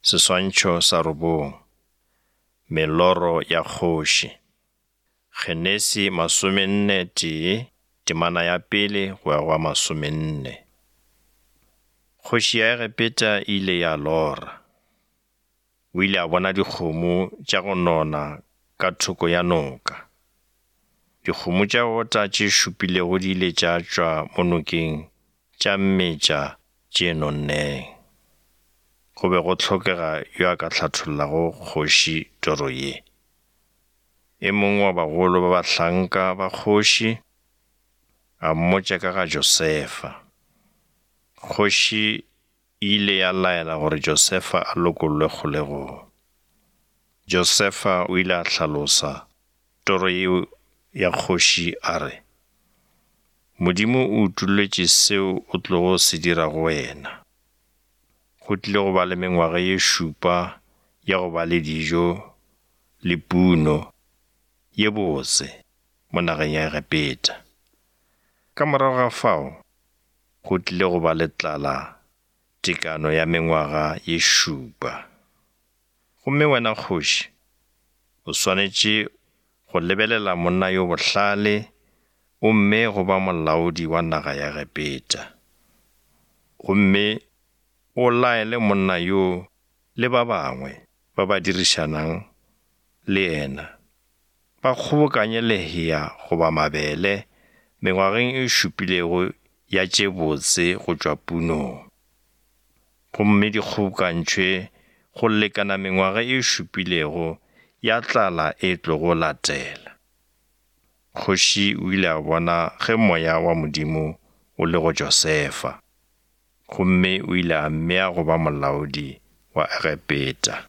Seswantšho sa robong. Meloro ya kgoši. Genesi masomenne tee, temana ya pele go ya go ya masomenne. Kgoši ya Egepeta e ile ya lora. O ile a bona dikgomo tša go nona ka thoko ya noka. Dikgomo tša go ota tše šupilego di ile tša tšwa mo nokeng tša metša tše nonneng. Go be go hlokega yo a ka hlathollago kgoši toro ye. E mongwe wa bagolo ba bahlanka ba kgoši a mmotša ka ga Josefa. Kgoši e ile ya laela gore Josefa a lokollwe kgolegong. Josefa o ile a hlalosa toro yeo ya kgoši a re, Modimo o utolletše seo o tlogo se dira go wena. Go tlile go ba le mengwaga ye šupa ya go ba le dijo le puno ye botse mo nageng ya Egepeta. Ka morago ga fao go tlile go ba le tlala tekano ya mengwaga ye šupa. Gomme wena kgoši, o swanetše go lebelela monna yo bohlale o mmee go ba molaodi wa naga ya Egepeta. Gomme o laele monna yo le ba bangwe ba ba dirišanang le yena, ba kgobokanye lehea goba mabele mengwageng e šupilego ya tše botse go tšwa punong. Gomme di kgobokantšhwe go lekana mengwaga e šupilego ya tlala e tlogo latela. Kgoši o ile a bona ge moya wa Modimo o le go Josefa, gomme o ile a mmea go ba molaodi wa Egepeta.